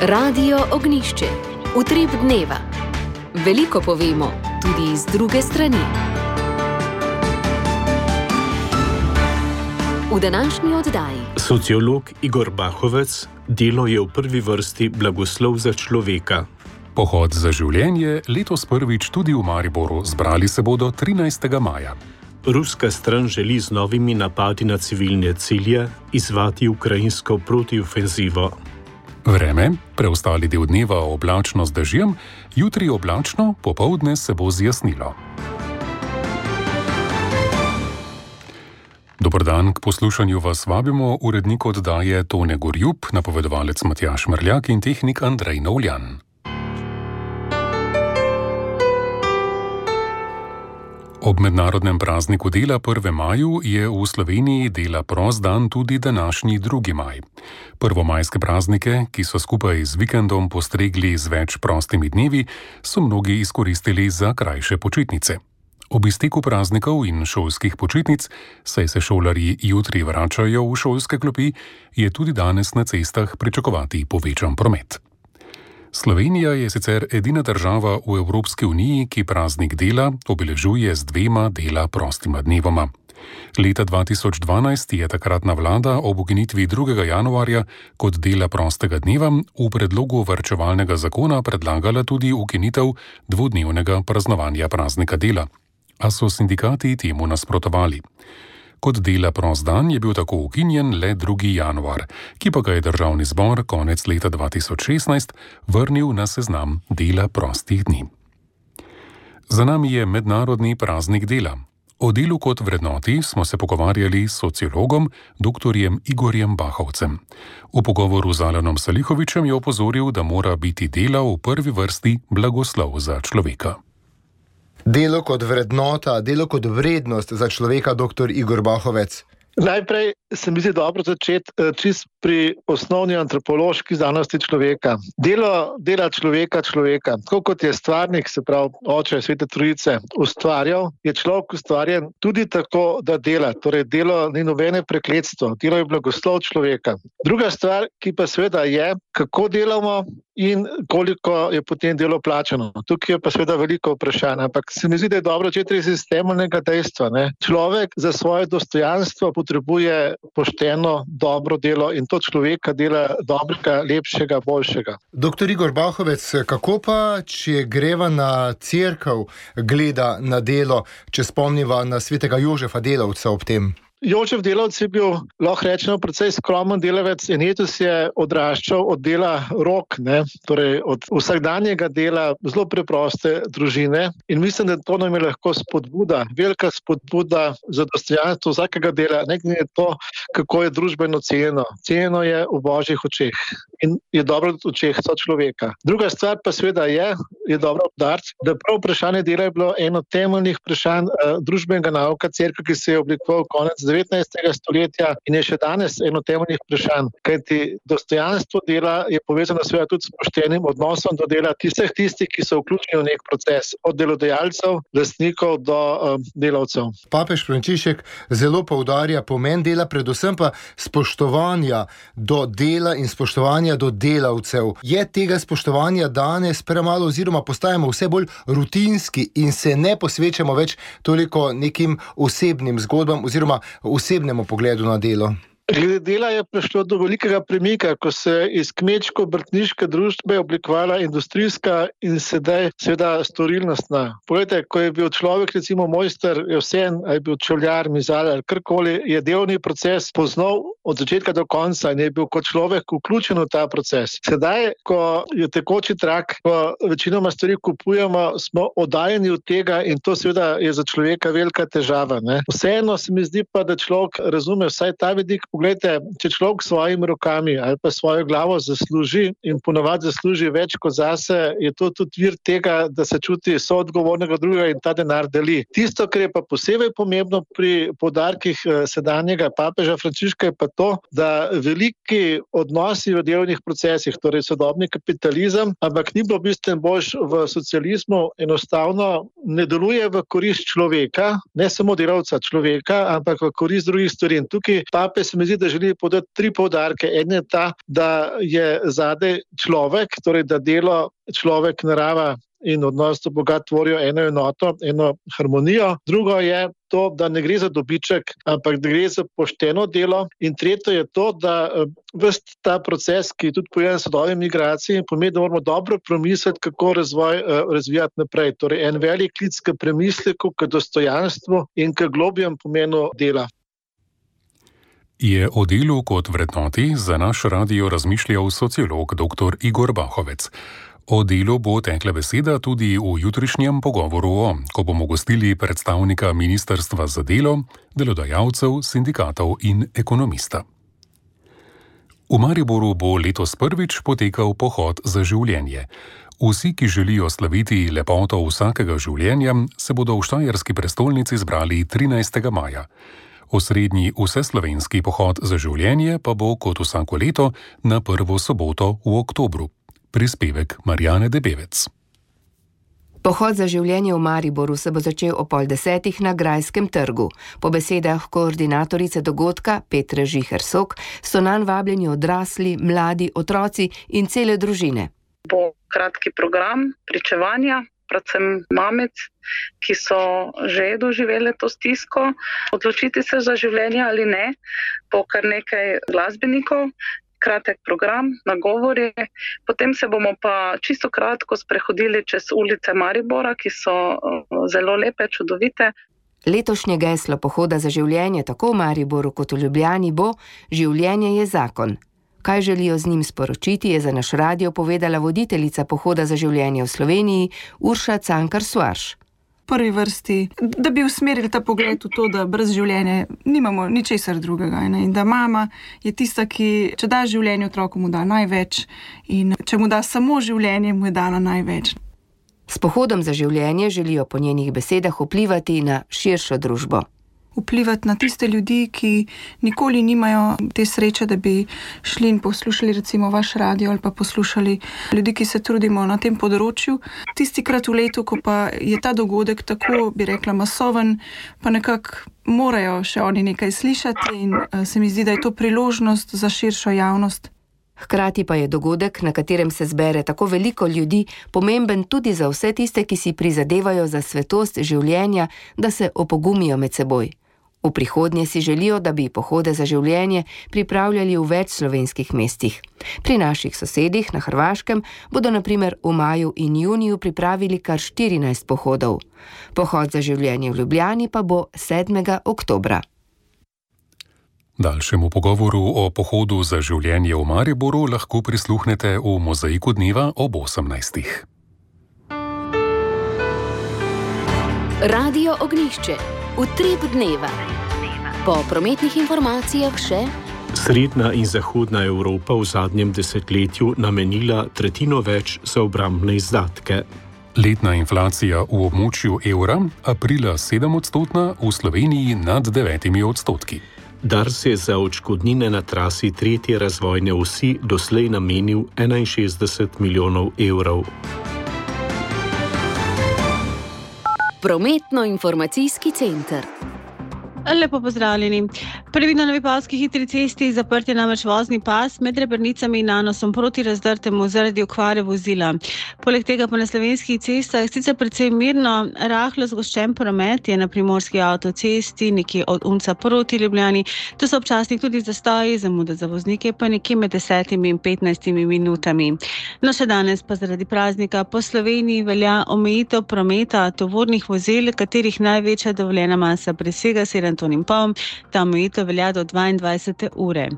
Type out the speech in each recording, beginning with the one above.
Radio Ognjišče. Utrip dneva. Veliko povemo, tudi iz druge strani. V današnji oddaji. Sociolog Igor Bahovec, delo je v prvi vrsti blagoslov za človeka. Pohod za življenje letos prvič tudi v Mariboru, zbrali se bodo 13. maja. Ruska stran želi z novimi napadi na civilne cilje izvati ukrajinsko protiofenzivo. Vreme, preostali del dneva oblačno z dežjem, jutri oblačno, popoldne se bo zjasnilo. Dober dan, k poslušanju vas vabimo urednik oddaje Tone Gorjup, napovedovalec Matjaž Mrljak in tehnik Andrej Novljan. Ob mednarodnem prazniku dela 1. maju je v Sloveniji dela prost dan tudi današnji 2. maj. Prvomajske praznike, ki so skupaj z vikendom postregli z več prostimi dnevi, so mnogi izkoristili za krajše počitnice. Ob izteku praznikov in šolskih počitnic, saj se šolarji jutri vračajo v šolske klopi, je tudi danes na cestah pričakovati povečan promet. Slovenija je sicer edina država v Evropski uniji, ki praznik dela obeležuje z 2 dela prostima dnevoma. Leta 2012 je takratna vlada ob ukinitvi 2. januarja kot dela prostega dneva v predlogu varčevalnega zakona predlagala tudi ukinitev 2-dnevnega praznovanja praznika dela, a so sindikati temu nasprotovali. Kot dela prost dan je bil tako ukinjen le 2. januar, ki pa ga je Državni zbor konec leta 2016 vrnil na seznam dela prostih dni. Za nami je mednarodni praznik dela. O delu kot vrednoti smo se pogovarjali s sociologom dr. Igorjem Bahovcem. V pogovoru z Alanom Salihovičem je opozoril, da mora biti delo v prvi vrsti blagoslov za človeka. Delo kot vrednota, delo kot vrednost za človeka, dr. Igor Bahovec. Najprej se mi zdi dobro začeti čist pri osnovni antropološki znanosti človeka. Delo dela človeka. Tako kot je stvarnik, se pravi oče Svete Trojice, ustvarjal, je človek ustvarjen tudi tako, da dela. Torej, delo ni nobene prekletstvo, delo je blagoslov človeka. Druga stvar, ki pa seveda je, kako delamo in koliko je potem delo plačano. Tukaj je pa seveda veliko vprašanj, ampak se mi zdi, da je dobro začeti iz temeljnega dejstva. Človek za svoje dostojanstvo potrebuje pošteno, dobro delo in to človeka dela dobrega, lepšega, boljšega. Dr. Igor Bahovec, kako pa, če greva na cerkev, gleda na delo, če spomniva na svetega Jožefa Delavca ob tem? Jožef Delavc je bil, lahko rečemo, precej skromen delavec in letos je odraščal od dela rok, torej od vsakdanjega dela zelo preproste družine in mislim, da to nam je lahko spodbuda, velika spodbuda za dostojanstvo vsakega dela, ne glede na to, kako je družbeno cenjeno. Cenjeno je v božjih očeh in je dobro v očeh sočloveka. Druga stvar pa seveda je dobro obdariti, da prav vprašanje dela je bilo eno temeljnih vprašanj družbenega nauka cerkve, ki se je oblikoval konec 19. stoletja in je še danes eno temeljnih vprašanj, kajti dostojanstvo dela je povezano seveda tudi s poštenim odnosom do dela tistih, ki so vključeni v nek proces, od delodajalcev, lastnikov do delavcev. Papež Frančišek zelo poudarja pomen dela, predvsem pa spoštovanja do dela in spoštovanja do delavcev. Je tega spoštovanja danes premalo oziroma postajamo vse bolj rutinski in se ne posvečamo več toliko nekim osebnim zgodbam oziroma osebnemu pogledu na delo? Glede dela je prišlo do velikega premika, ko se iz kmečko-obrtniške družbe oblikovala industrijska in sedaj seveda storilnostna. Poglejte, ko je bil človek recimo mojster, je vseeno, ali je bil čevljar, mizar ali karkoli, je delovni proces poznal od začetka do konca in je bil kot človek vključen v ta proces. Sedaj, ko je tekoči trak, ko večinoma stvari kupujemo, smo oddaljeni od tega in to seveda je za človeka velika težava. Vseeno se mi zdi pa, da človek razume vsaj ta vidik. Poglejte, če človek svojimi rokami ali pa svojo glavo zasluži in ponavadi zasluži več kot zase, je to tudi vir tega, da se čuti soodgovornega drugega in ta denar deli. Tisto, kar je pa posebej pomembno pri poudarkih sedanjega papeža Frančiška, je pa to, da veliki odnosi v delovnih procesih, torej sodobni kapitalizem, ampak ni bilo bistveno boljš v socializmu, enostavno ne deluje v korist človeka, ne samo delavca človeka, ampak v korist drugih stvari. In tukaj papež mi zdi, da želi podati 3 poudarke. En je ta, da je zadaj človek, torej da delo človek, narava in odnos do Boga tvorijo eno enoto, eno harmonijo. Drugo je to, da ne gre za dobiček, ampak da gre za pošteno delo. In tretje je to, da ves ta proces, ki je tudi povezan s sodobnimi migracijami, pomeni, da moramo dobro promisliti, kako razvoj razvijati naprej. Torej, en velik klic k premisleku, k dostojanstvu in k globjem pomenu dela. Je o delu kot vrednoti za naš radio razmišljal sociolog dr. Igor Bahovec. O delu bo tekla beseda tudi v jutrišnjem pogovoru, ko bomo gostili predstavnika Ministrstva za delo, delodajalcev, sindikatov in ekonomista. V Mariboru bo letos prvič potekal pohod za življenje. Vsi, ki želijo slaviti lepoto vsakega življenja, se bodo v štajerski prestolnici zbrali 13. maja. Osrednji vseslovenski pohod za življenje pa bo kot vsako leto na prvo soboto v oktobru. Prispevek Marjane Debevec. Pohod za življenje v Mariboru se bo začel o 9:30 na Grajskem trgu. Po besedah koordinatorice dogodka Petre Žiher-Sok so nanj vabljeni odrasli, mladi, otroci in cele družine. Bo kratki program pričevanja, predvsem mamic, ki so že doživele to stisko, odločiti se za življenje ali ne, bo kar nekaj glasbenikov, kratek program, nagovori. Potem se bomo pa čisto kratko sprehodili čez ulice Maribora, ki so zelo lepe, čudovite. Letošnje geslo pohoda za življenje tako v Mariboru kot v Ljubljani bo Življenje je zakon. Kaj želijo z njim sporočiti, je za naš radio povedala voditeljica pohoda za življenje v Sloveniji Urša Cankar-Suarš. V prvi vrsti, da bi usmerili ta pogled v to, da brez življenja nimamo ničesar drugega. In da mama je tista, ki, če da življenje otroku, mu da največ, in če mu da samo življenje, mu je dala največ. S pohodom za življenje želijo po njenih besedah vplivati na širšo družbo. Vplivati na tiste ljudi, ki nikoli nimajo te sreče, da bi šli in poslušali recimo vaš radio ali pa poslušali ljudi, ki se trudimo na tem področju. Tistikrat v letu, ko pa je ta dogodek tako, bi rekla, masoven, pa nekako morajo še oni nekaj slišati in se mi zdi, da je to priložnost za širšo javnost. Hkrati pa je dogodek, na katerem se zbere tako veliko ljudi, pomemben tudi za vse tiste, ki si prizadevajo za svetost življenja, da se opogumijo med seboj. V prihodnje si želijo, da bi pohode za življenje pripravljali v več slovenskih mestih. Pri naših sosedih na Hrvaškem bodo na primer v maju in juniju pripravili kar 14 pohodov. Pohod za življenje v Ljubljani pa bo 7. oktobra. Daljšemu pogovoru o pohodu za življenje v Mariboru lahko prisluhnete v Mozaiku dneva ob 18. Radio Ognjišče. Utrip dneva. Po prometnih informacijah še: Srednja in zahodna Evropa v zadnjem desetletju namenila tretjino več za obrambne izdatke. Letna inflacija v območju evra aprila 7-odstotna, v Sloveniji nad 9%. Dars je za odškodnine na trasi 3. razvojne osi doslej namenil 61 milijonov evrov. Prometno-informacijski center. Lepo pozdravljeni. Previdno na Vipavski hitri cesti zaprt je namreč vozni pas med Rebrnicami in Nanosom proti Razdrtemu zaradi okvare vozila. Poleg tega pa na slovenskih cestah sicer precej mirno, rahlo zgoščen promet je na primorski avtocesti, nekje od Unca proti Ljubljani. To so občasnih tudi zastoji, zamude za voznike pa nekje med 10 in 15 minutami. No, še danes pa zaradi praznika po Sloveniji velja omejitev prometa tovornih vozil, katerih največja dovoljena masa presega 7 ton in pol, ta omejitev velja do 22. ure.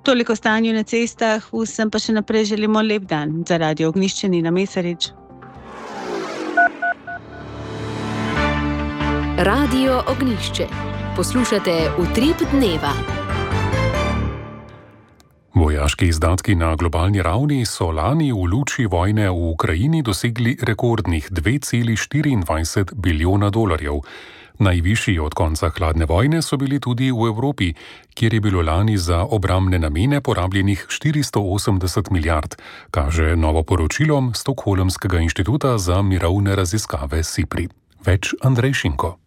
Toliko o stanju na cestah, vsem pa še naprej želimo lep dan. Za Radio Ognjišče Nina Mesarič. Radio Ognjišče. Poslušate Utrip dneva. Vojaški izdatki na globalni ravni so lani v luči vojne v Ukrajini dosegli rekordnih 2,24 bilijona dolarjev. Najvišji od konca hladne vojne so bili tudi v Evropi, kjer je bilo lani za obrambne namene porabljenih 480 milijard, kaže novo poročilo Stockholmskega inštituta za mirovne raziskave SIPRI. Več Andrej Šinko.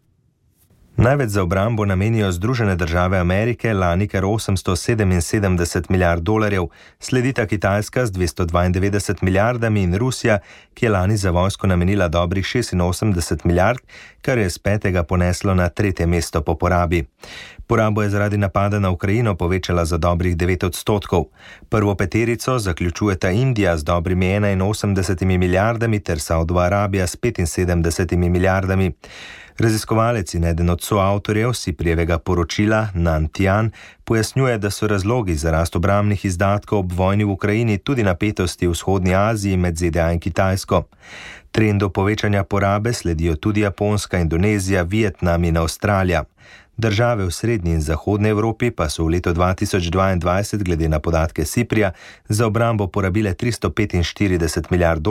Največ za obrambo namenijo Združene države Amerike, lani kar $877 milijard, sledita Kitajska z 292 milijardami in Rusija, ki je lani za vojsko namenila dobrih 86 milijard, kar je z 5. poneslo na 3. mesto po porabi. Porabo je zaradi napada na Ukrajino povečala za dobrih 9%. Prvo peterico zaključujeta Indija z dobrimi 81 milijardami ter Saudova Arabija s 75 milijardami. Raziskovalec in eden od soavtorjev Siprijevega poročila, Nan Tian, pojasnjuje, da so razlogi za rast obrambnih izdatkov ob vojni v Ukrajini tudi napetosti v vzhodni Aziji med ZDA in Kitajsko. Trendu povečanja porabe sledijo tudi Japonska, Indonezija, Vietnam in Avstralija. Države v srednji in zahodni Evropi pa so v letu 2022 glede na podatke Siprija za obrambo porabile $345 milijard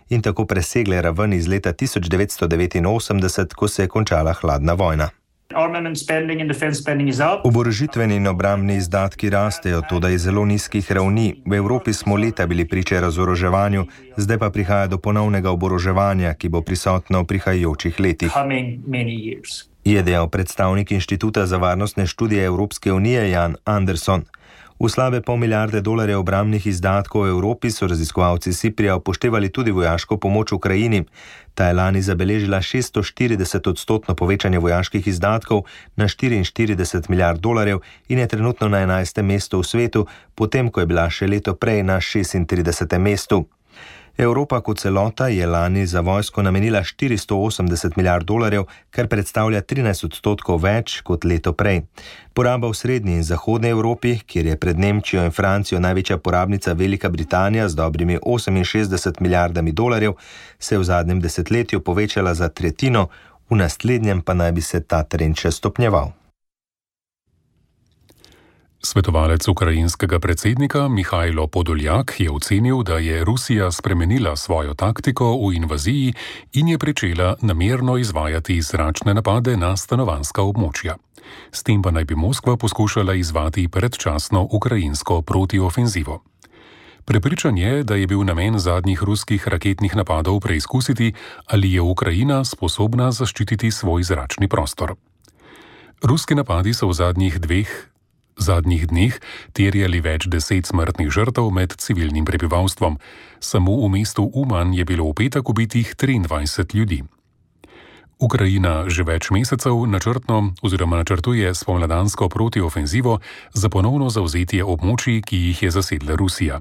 in tako presegle raven iz leta 1989, ko se je končala hladna vojna. Oborožitveni in obrambni izdatki rastejo, toda iz zelo nizkih ravni. V Evropi smo leta bili priče razoroževanju, zdaj pa prihaja do ponovnega oboroževanja, ki bo prisotno v prihajajočih letih. Je dejal predstavnik Inštituta za varnostne študije Evropske unije Jan Anderson. V slabe $500 milijarde obrambnih izdatkov v Evropi so raziskovalci Siprija upoštevali tudi vojaško pomoč Ukrajini. Ta je lani zabeležila 640% povečanje vojaških izdatkov na $44 milijard in je trenutno na 11. mestu v svetu, potem ko je bila še leto prej na 36. mestu. Evropa kot celota je lani za vojsko namenila $480 milijard, kar predstavlja 13% več kot leto prej. Poraba v srednji in zahodni Evropi, kjer je pred Nemčijo in Francijo največja porabnica Velika Britanija z dobrimi $68 milijardami, se je v zadnjem desetletju povečala za tretjino, v naslednjem pa naj bi se ta trend še stopnjeval. Svetovalec ukrajinskega predsednika Mihajlo Podoljak je ocenil, da je Rusija spremenila svojo taktiko v invaziji in je pričela namerno izvajati zračne napade na stanovanjska območja. S tem pa naj bi Moskva poskušala izzvati predčasno ukrajinsko protiofenzivo. Prepričan je, da je bil namen zadnjih ruskih raketnih napadov preizkusiti, ali je Ukrajina sposobna zaščititi svoj zračni prostor. Ruski napadi so v zadnjih dneh terjali več 10 smrtnih žrtev med civilnim prebivalstvom. Samo v mestu Uman je bilo v petek ubitih 23 ljudi. Ukrajina že več mesecev načrtuje spomladansko protiofenzivo za ponovno zavzetje območij, ki jih je zasedla Rusija.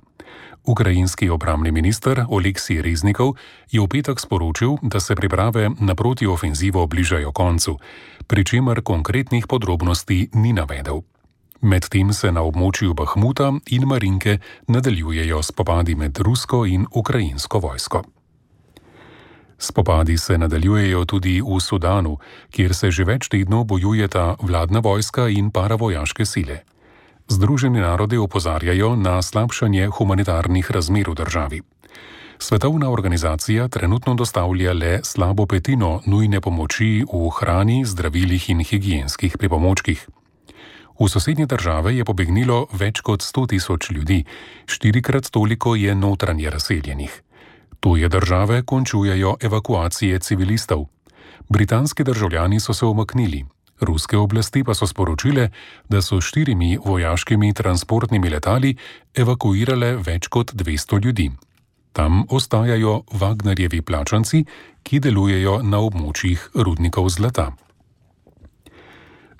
Ukrajinski obrambni minister Oleksij Reznikov je v petek sporočil, da se priprave na protiofenzivo bližajo koncu, pri čemer konkretnih podrobnosti ni navedel. Medtem se na območju Bahmuta in Marinke nadaljujejo spopadi med rusko in ukrajinsko vojsko. Spopadi se nadaljujejo tudi v Sudanu, kjer se že več tednov bojujeta vladna vojska in paravojaške sile. Združeni narodi opozarjajo na slabšanje humanitarnih razmer v državi. Svetovna organizacija trenutno dostavlja le slabo petino nujne pomoči v hrani, zdravilih in higienskih pripomočkih. V sosednje države je pobegnilo več kot 100.000 ljudi, 4-krat toliko je notranje razseljenih. Tuje države končujejo evakuacije civilistov. Britanski državljani so se umaknili. Ruske oblasti pa so sporočile, da so 4 vojaškimi transportnimi letali evakuirale več kot 200 ljudi. Tam ostajajo Wagnerjevi plačanci, ki delujejo na območjih rudnikov zlata.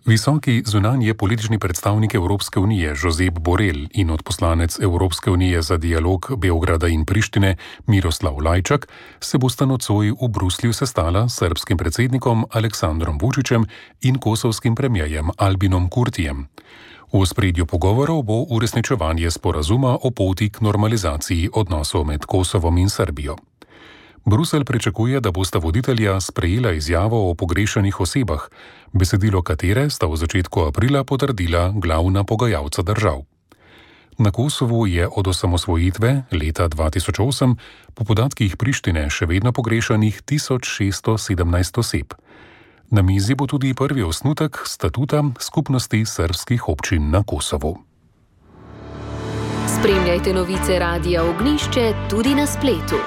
Visoki zunanje politični predstavnik Evropske unije Josep Borrell in odposlanec Evropske unije za dialog Beograda in Prištine Miroslav Lajčak se bosta nocoj v Bruslju sestala s srbskim predsednikom Aleksandrom Vučićem in kosovskim premierjem Albinom Kurtijem. V ospredju pogovorov bo uresničevanje sporazuma o poti k normalizaciji odnosov med Kosovom in Srbijo. Bruselj pričakuje, da bosta voditelja sprejela izjavo o pogrešanih osebah, besedilo katere sta v začetku aprila potrdila glavna pogajalca držav. Na Kosovu je od osamosvojitve leta 2008 po podatkih Prištine še vedno pogrešanih 1617 oseb. Na mizi bo tudi prvi osnutek statuta skupnosti srbskih občin na Kosovu. Spremljajte novice Radia Ognjišče tudi na spletu.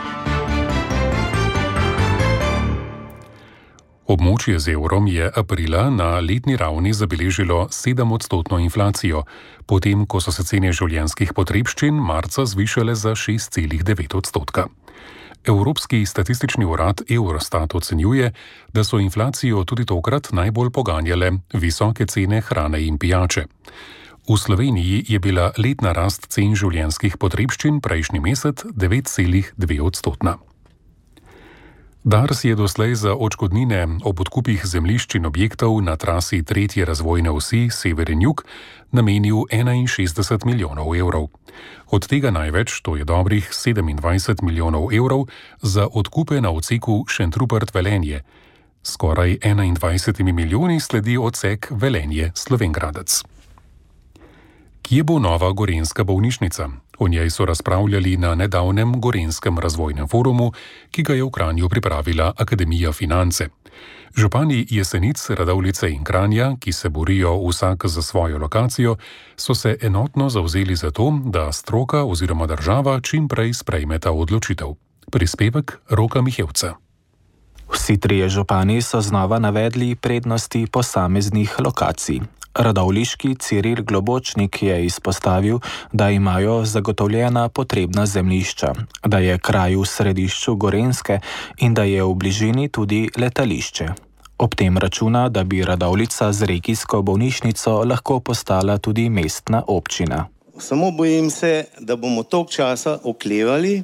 Območje z evrom je aprila na letni ravni zabeležilo 7% inflacijo, potem ko so se cene življenjskih potrebščin marca zvišale za 6,9%. Evropski statistični urad Eurostat ocenjuje, da so inflacijo tudi tokrat najbolj poganjale visoke cene hrane in pijače. V Sloveniji je bila letna rast cen življenjskih potrebščin prejšnji mesec 9,2%. Dars je doslej za odškodnine ob odkupih zemljišč in objektov na trasi 3. razvojne osi sever in jug namenil 61 milijonov evrov. Od tega največ, to je dobrih 27 milijonov evrov, za odkupe na odseku Šentrupert-Velenje. Skoraj 21 milijoni sledi odsek Velenje-Slovenj Gradec. Kje bo nova gorenjska bolnišnica? O njej so razpravljali na nedavnem Gorenjskem razvojnem forumu, ki ga je v Kranju pripravila Akademija Finance. Župani Jesenic, Radovljice in Kranja, ki se borijo vsak za svojo lokacijo, so se enotno zavzeli za to, da stroka oziroma država čim prej sprejme ta odločitev. Prispevek Roka Mihevca. Vsi trije župani so znova navedli prednosti posameznih lokacij. Radovljiški Ciril Globočnik je izpostavil, da imajo zagotovljena potrebna zemljišča, da je kraj v središču Gorenjske in da je v bližini tudi letališče. Ob tem računa, da bi Radovljica z regijsko bolnišnico lahko postala tudi mestna občina. Samo bojim se, da bomo toliko časa oklevali,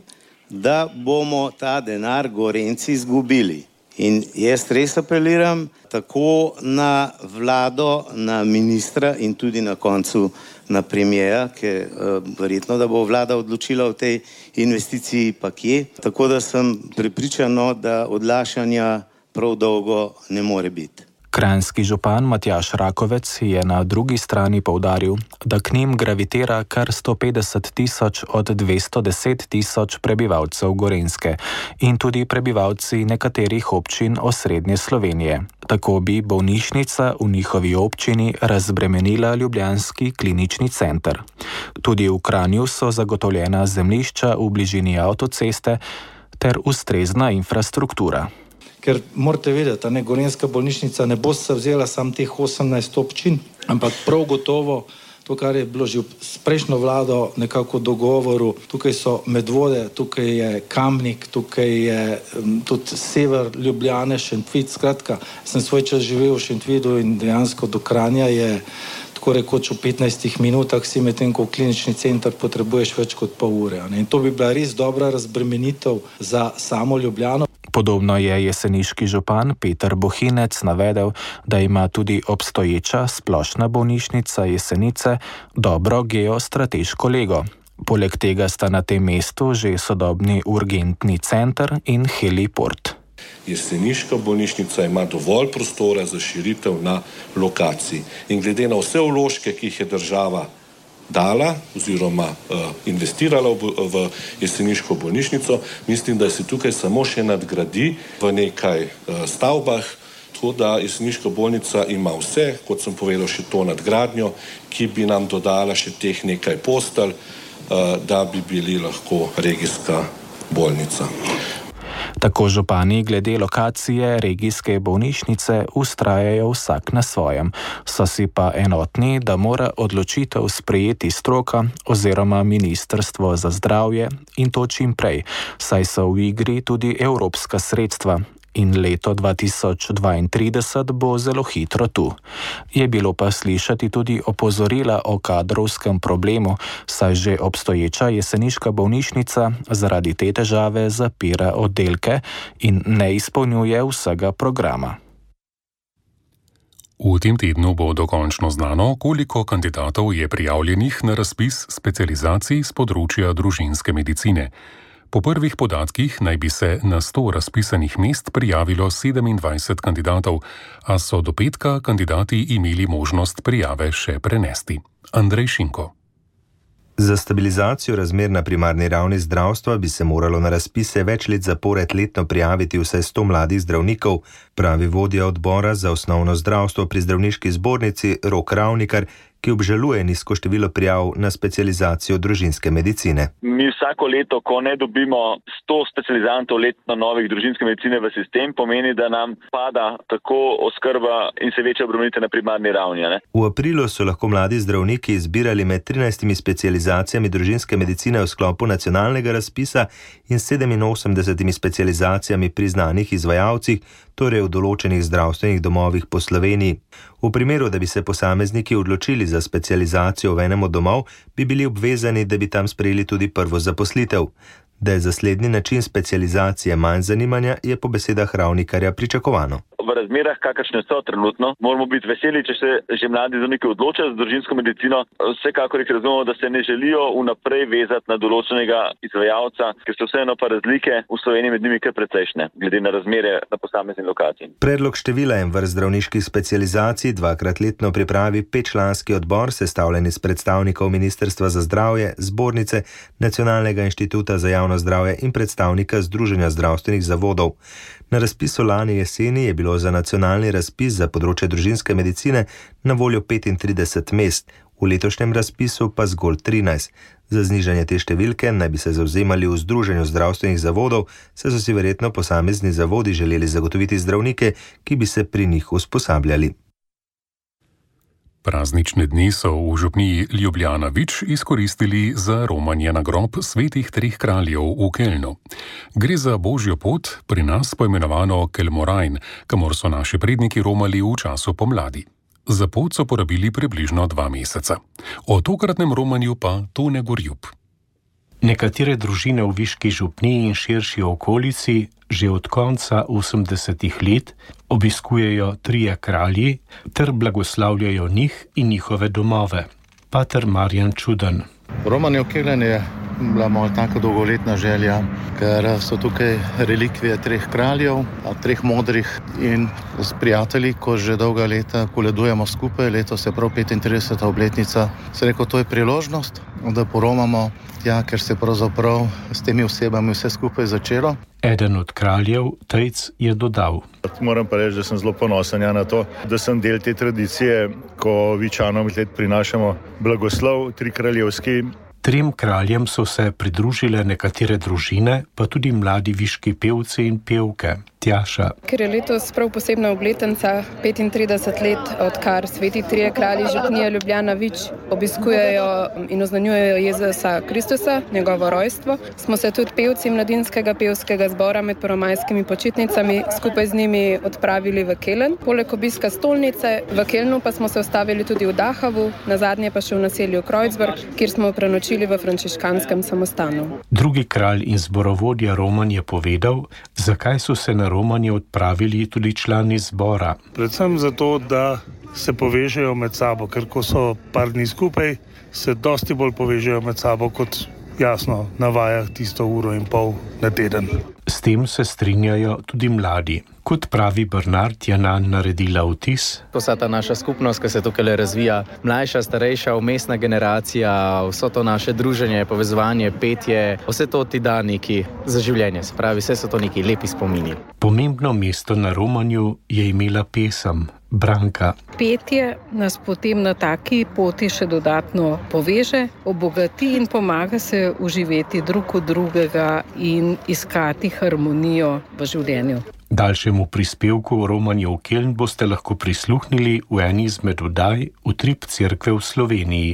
da bomo ta denar Gorenjci izgubili. In jaz res apeliram tako na vlado, na ministra in tudi na koncu na premijera, ker verjetno, da bo vlada odločila o tej investiciji pa kje. Tako da sem prepričan, da odlašanja prav dolgo ne more biti. Kranjski župan Matjaž Rakovec je na drugi strani poudaril, da k njim gravitira kar 150 tisoč od 210 tisoč prebivalcev Gorenjske in tudi prebivalci nekaterih občin osrednje Slovenije. Tako bi bolnišnica v njihovi občini razbremenila ljubljanski klinični center. Tudi v Kranju so zagotovljena zemljišča v bližini avtoceste ter ustrezna infrastruktura. Ker morate vedeti, da Gorenjska bolnišnica ne bo se vzela samo teh 18 občin, ampak prav gotovo to, kar je bilo že s prejšnjo vlado nekako dogovoru. Tukaj so Medvode, tukaj je Kamnik, tukaj je tudi sever Ljubljane, Šentvid. Skratka, sem svoj čas živel v Šentvidu in dejansko do Kranja je tako rekoč v 15 minutah, si medtem ko v klinični center potrebuješ več kot pol ure. In to bi bila res dobra razbremenitev za samo Ljubljano. Podobno je jeseniški župan Peter Bohinec navedel, da ima tudi obstoječa splošna bolnišnica Jesenice dobro geostrateško lego. Poleg tega sta na tem mestu že sodobni urgentni center in heliport. Jeseniška bolnišnica ima dovolj prostora za širitev na lokaciji. In glede na vse vložke, ki jih je država dala oziroma investirala v jeseniško bolnišnico, mislim, da se tukaj samo še nadgradi v nekaj stavbah, tako da jeseniška bolnica ima vse, kot sem povedal, še to nadgradnjo, ki bi nam dodala še teh nekaj postelj, da bi bili lahko regijska bolnica. Tako župani glede lokacije regijske bolnišnice vztrajajo vsak na svojem, so si pa enotni, da mora odločitev sprejeti stroka oziroma Ministrstvo za zdravje in to čim prej, saj so v igri tudi evropska sredstva. In leto 2032 bo zelo hitro tu. Je bilo pa slišati tudi opozorila o kadrovskem problemu, saj že obstoječa jeseniška bolnišnica zaradi te težave zapira oddelke in ne izpolnjuje vsega programa. V tem tednu bo dokončno znano, koliko kandidatov je prijavljenih na razpis specializacij z področja družinske medicine. Po prvih podatkih naj bi se na 100 razpisanih mest prijavilo 27 kandidatov, a so do petka kandidati imeli možnost prijave še prenesti. Andrej Šinko. Za stabilizacijo razmer na primarni ravni zdravstva bi se moralo na razpise več let zapored letno prijaviti vsaj 100 mladih zdravnikov, pravi vodja odbora za osnovno zdravstvo pri zdravniški zbornici Rok Ravnikar, ki obžaluje nizko število prijav na specializacijo družinske medicine. Mi vsako leto, ko ne dobimo 100 specializantov letno novih družinske medicine v sistem, pomeni, da nam pada tako oskrba in se večja obremenitev na primarni ravni. Ne? V aprilu so lahko mladi zdravniki izbirali med 13 specializacijami družinske medicine v sklopu nacionalnega razpisa in 87 specializacijami pri znanih izvajalcih, torej v določenih zdravstvenih domovih po Sloveniji. V primeru, da bi se posamezniki odločili za specializacijo v enem od domov, bi bili obvezani, da bi tam sprejeli tudi prvo zaposlitev. Da je za slednji način specializacije manj zanimanja, je po besedah Ravnikarja pričakovano. V razmerah, kakršne so trenutno, moramo biti veseli, če se že mladi zdravniki odločajo za družinsko medicino. Vsekakor jih razumemo, da se ne želijo vnaprej vezati na določenega izvajalca, ker so vseeno pa razlike v Sloveniji med njimi kar precejšnje, glede na razmere na posamezni lokaciji. Predlog števila in vrst zdravniških specializacij dvakrat letno pripravi 5-članski odbor, sestavljen iz predstavnikov Ministrstva za zdravje, Zbornice, Nacionalnega inštituta za javno zdravje in predstavnika Združenja zdravstvenih zavodov. Na razpisu lani jeseni je bilo za nacionalni razpis za področje družinske medicine na voljo 35 mest, v letošnjem razpisu pa zgolj 13. Za znižanje te številke naj bi se zavzemali v Združenju zdravstvenih zavodov, saj so si verjetno posamezni zavodi želeli zagotoviti zdravnike, ki bi se pri njih usposabljali. Praznične dni so v župniji Ljubljana Vič izkoristili za romanje na grob svetih treh kraljev v Kelnu. Gre za božjo pot, pri nas poimenovano Kelmorajn, kamor so naši predniki romali v času pomladi. Za pot so porabili približno 2 meseca. O tokratnem romanju pa Tone Gorjub. Nekatere družine v Viški župniji in širši okolici že od konca 80-ih let obiskujejo trije kralji ter blagoslavljajo njih in njihove domove. Pater Marjan Čuden. Romanje v Kelen je bila moja tako dolgoletna želja, ker so tukaj relikvije treh kraljev, treh modrih, in s prijatelji, ko že dolga leta koledujemo skupaj, letos je prav 35. obletnica, se rekel, to je priložnost, da poromamo tja, ker se pravzaprav s temi osebami vse skupaj začelo. Eden od kraljev, Tejc, je dodal. Moram pa reči, da sem zelo ponosen na to, da sem del te tradicije, ko Vičanom let prinašamo blagoslov trikraljevski. Trem kraljem so se pridružile nekatere družine, pa tudi mladi viški pevci in pevke. Tjaša. Ker je letos prav posebna obletnica, 35 let, odkar sveti trije kralji župnije Ljubljana Vič obiskujejo in oznanjujejo Jezusa Kristusa, njegovo rojstvo, smo se tudi pevci mladinskega pevskega zbora med prvomajskimi počitnicami skupaj z njimi odpravili v Kelen. Poleg obiska stolnice v Kelnu pa smo se ustavili tudi v Dahavu, nazadnje pa še v naselju Kreuzberg, kjer smo prenočili v frančiškanskem samostanu. Drugi kralj in zborovodja Roman je povedal, zakaj so se na romanje odpravili tudi člani zbora. Predvsem zato, da se povežejo med sabo, ker ko so par dni skupaj, se dosti bolj povežejo med sabo, kot jasno na vajah tisto 1,5 ure na teden. S tem se strinjajo tudi mladi. Kot pravi Bernard, je nanj naredila vtis. Vsa ta naša skupnost, ki se tukaj razvija, mlajša, starejša, vmesna generacija, vso to naše druženje, povezovanje, petje, vse to ti da neki za življenje. Se pravi, vse so to neki lepi spomini. Pomembno mesto na romanju je imela pesem Branka. Petje nas potem na taki poti še dodatno poveže, obogati in pomaga se uživeti drug od drugega in iskati harmonijo v življenju. Daljšemu prispevku o romanju v Keln boste lahko prisluhnili v eni izmed oddaj Utrip cerkve v Sloveniji.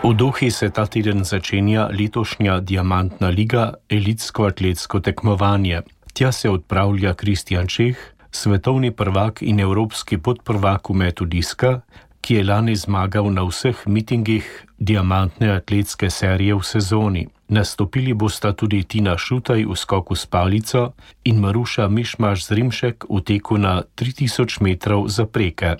V Dohi se ta teden začenja letošnja Diamantna liga, elitsko atletsko tekmovanje. Tja se odpravlja Kristjan Čeh, svetovni prvak in evropski podprvak v metu diska, ki je lani zmagal na vseh mitingih diamantne atletske serije v sezoni. Nastopili bosta tudi Tina Šutaj v skoku s palico in Maruša Mišmaš Zrimšek v teku na 3000 metrov zapreke.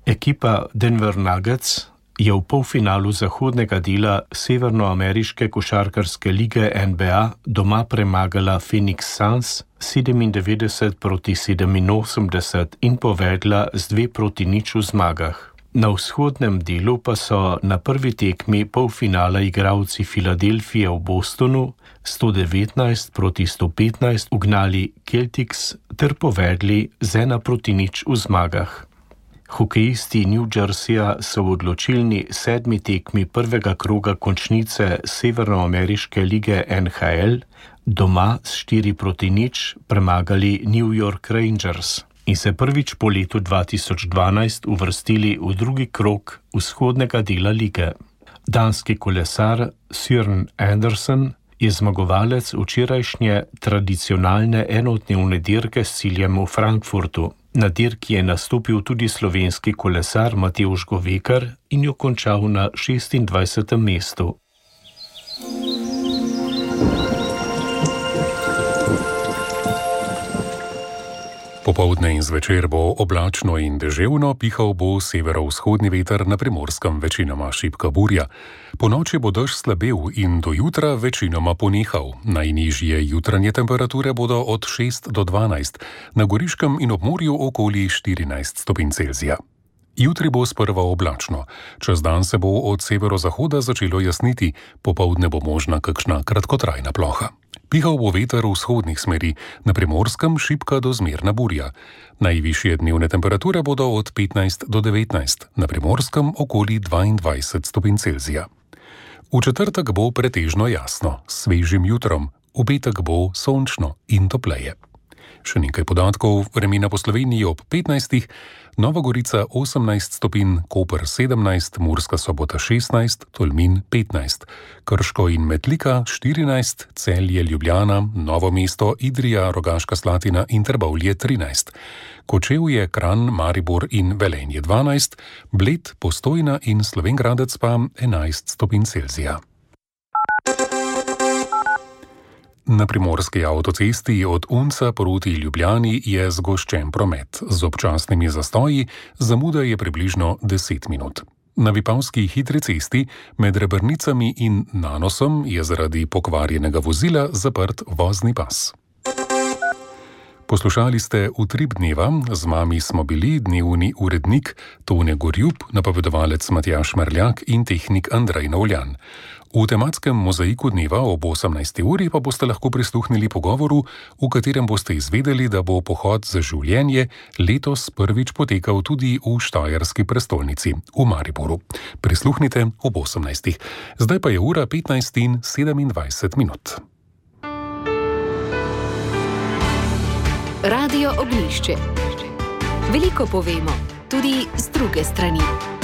Ekipa Denver Nuggets je v polfinalu zahodnega dela severnoameriške košarkarske lige NBA doma premagala Phoenix Suns 97-87 in povedla z 2-0 v zmagah. Na vzhodnem delu pa so na prvi tekmi polfinala igralci Filadelfije v Bostonu 119-115 ugnali Celtics ter povedli z 1-0 v zmagah. Hokejisti New Jerseyja so v odločilni 7. tekmi prvega kroga končnice Severnoameriške lige NHL doma s 4-0 premagali New York Rangers in se prvič po letu 2012 uvrstili v drugi krog vzhodnega dela lige. Danski kolesar Søren Andersen je zmagovalec včerajšnje tradicionalne enodnevne dirke s ciljem v Frankfurtu. Na dirki je nastopil tudi slovenski kolesar Matevž Govekar in jo končal na 26. mestu. Popoldne in zvečer bo oblačno in deževno, pihal bo severovzhodni veter, na Primorskem večinoma šibka burja. Ponoči bo dež slabel in do jutra večinoma ponehal. Najnižje jutranje temperature bodo od 6 do 12, na Goriškem in ob morju okoli 14 stopinj Celzija. Jutri bo sprva oblačno. Čez dan se bo od severozahoda začelo jasniti, popoldne bo možna kakšna kratkotrajna ploha. Pihal bo veter vzhodnih smeri, na Primorskem šibka do zmerna burja. Najvišje dnevne temperature bodo od 15 do 19, na Primorskem okoli 22 stopinj Celzija. V četrtek bo pretežno jasno, s svežim jutrom, v petek bo sončno in topleje. Še nekaj podatkov vremena po Sloveniji ob 15. Nova Gorica 18 stopinj, Koper 17, Murska Sobota 16, Tolmin 15, Krško in Metlika 14, Celje, Ljubljana, Novo mesto, Idrija, Rogaška Slatina in Trbovlje 13, Kočevje, Kranj, Maribor in Velenje 12, Bled, Postojna in Slovenj Gradec pa 11 stopinj Celzija. Na primorski avtocesti od Unca proti Ljubljani je zgoščen promet. Z občasnimi zastoji zamuda je približno 10 minut. Na Vipavski hitri cesti med Rebrnicami in Nanosom je zaradi pokvarjenega vozila zaprt vozni pas. Poslušali ste Utrip dneva, z vami smo bili dnevni urednik Tone Gorjup, napovedovalec Matjaž Merljak in tehnik Andrej Novljan. V tematskem mozaiku dneva ob 18. uri pa boste lahko prisluhnili pogovoru, v katerem boste izvedeli, da bo pohod za življenje letos prvič potekal tudi v štajerski prestolnici, v Mariboru. Prisluhnite ob 18. Zdaj pa je ura 15:27 minut. Radio Ognjišče. Veliko povemo, tudi z druge strani.